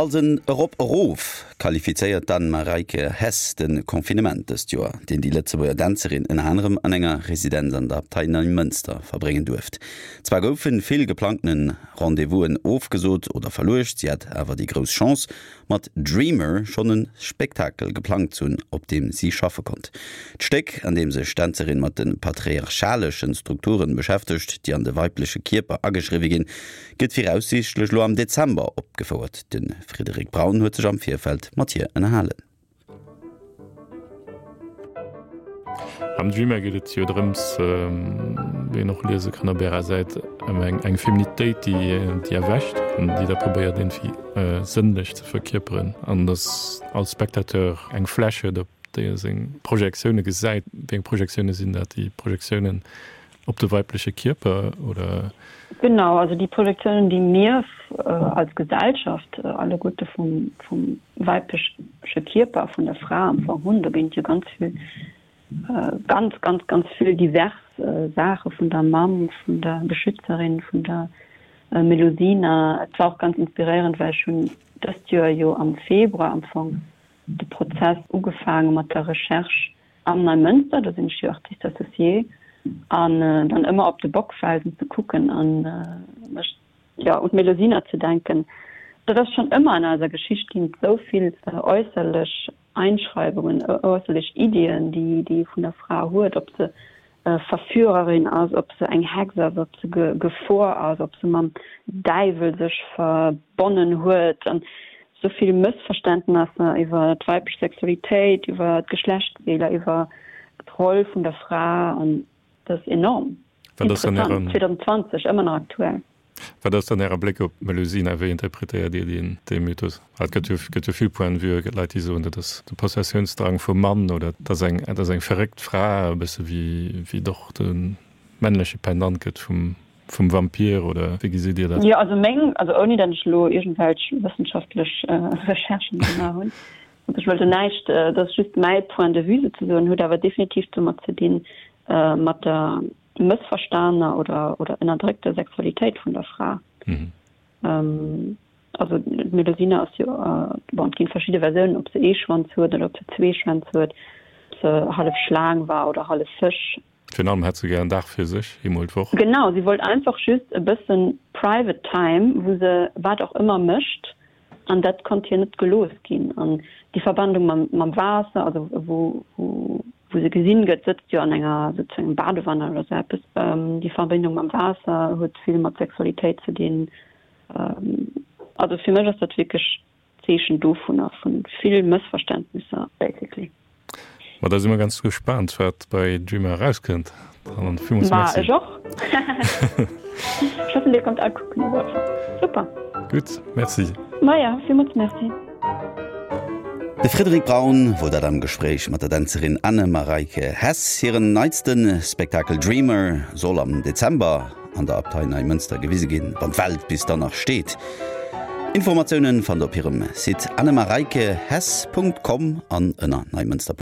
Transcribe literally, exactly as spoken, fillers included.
Als en Erop-Erof qualifizéiert d'Anne-Mareike Hess de Confinement dëst Joer, deen déi Lëtzebuerger Dänzerin ënner anerem an enger Residenz an der Abtei Neimënster verbréngen duerft. Zwar goufe vill geplangte Rendez-vousen ofgesot oder verluecht, si hat awer déi grouss Chance, mat Dreamer schonn e Spektakel geplangt ze hunn, op deem si schaffe konnt. D'Stéck, an deem sech d'Dänzerin mat de patriarchaleschen Strukture beschäftegt, déi an de weibleche Kierper ageschriwwe ginn, gëtt viraussiichtlech lo am Dezember opgefouert. De Frédéric Braun huet sech am Virfeld mat hir ënnerhalen. Am Dreamer geet et jo drëms, wéi een och liese kann op ärer Säit, ëm eng eng Feminitéit, déi déi erwächt an déi da probéiert iergendwéi sënnlech ze verkierperen an dass als Spectateur eng Fläch huet, op déi e seng Projektioune gesäit. Wéi eng Projektioune sinn dat? Déi Projektiounen op de weibleche Kierper oder? Genau, also déi Projektiounen, déi mir als Gesellschaft alleguerte vum vum weibleche Kierper, vun der Fra am Fong hunn, do ginn et jo ganz vill, ganz, ganz, ganz vill divers Saache vun der Mamm, vun der Beschützerin, vun der Melusina. Et war och ganz inspiréierend, well ech hunn dëst Joer jo am Februar am Fong de Prozess ugefaange mat der Recherche am Neimënster, do sinn ech jo Artiste associée, an dann ëmmer op de Bockfelsen ze kucken an mech, jo, un d'Melusina ze denken. Dat ass schonn ëmmer an eiser Geschicht ginn et esou vill äusserlech Einschreibungen, äusserlech Iddien, déi déi ee vun der Fra huet, ob se Verführerin ass, ob se eng Hex ass, ob se Gefor ass, ob se mam Däiwel sech verbonnen huet. An esou vill Mëssverständnesser iwwer d'weiblech Sexualitéit, iwwer d'Geschlechtsdeeler, iwwer d'Roll vun der Fra, an dat ass enorm interessant, zweedausendzwanzeg, ëmmer nach aktuell. Wat ass dann Äre Bléck op d'Melusina? Wéi interpretéiert Dir deen, dee Mythos? Et gëtt jo, gëtt jo vill Points de vue. Et gëtt Leit, déi soen, dat ass de Possessiounsdrang vum Mann oder dat ass eng, dat ass eng verréckt Fra, e bësse wéi, wéi et och de männleche Pendant gëtt vum, vum Vampir oder wéi gesitt Dir dat? Jo, also meng, also ouni datt ech elo iergendwelch wëssenschaftlech Recherchen gemaach hunn, also ech wëll do näischt, dat ass just mäi Point de vue souzesoen, huet awer definitiv domat ze dinn, mat der mëssverstanener oder oder ënnerdréckter Sexualitéit vun der Fra. Also d'Melusina ass jo, bon, et ginn verschidde Versiounen, ob se ee Schwanz huet oder ob se zwee Schwänz huet, ob se hallef Schlaang war oder hallef Fësch. Virun allem hätt se gär en Dag fir sech, eemol d'Woch. Genau, si wollt einfach just e bëssen private time, wou se wat och ëmmer mécht, an dat konnt hir net gelooss ginn. An déi Verbandung mam mam Waasser, also wou wou wou se gesinn gëtt, sëtzt jo an enger sou engem Badewanne oder sou eppes. Déi Verbindung mam Waasser huet vill mat Sexualitéit ze dinn. Also fir mech ass dat wierklech Zeechen dovunner, vu vill Mëssverständnisser basically. Ma da si mer ganz gespaant, wat bei Dreamer erauskënnt. Dann villmools Ma Merci. ech och. Ech hoffen, Dir kommt all kucken op alle Fall. Super. Gutt, Merci. Maja, villmools Merci. De Frédéric Braun wor dat am Gespréich mat der Dänzerin Anne-Mareike Hess. Hiren neitste Spektakel Dreamer soll am Dezember an der Abtei Neimënster gewise ginn, wann d'Welt bis dann nach steet. Informatiounen fannt der op hirem Site annemareikehess Punkt com an ënner neimënster.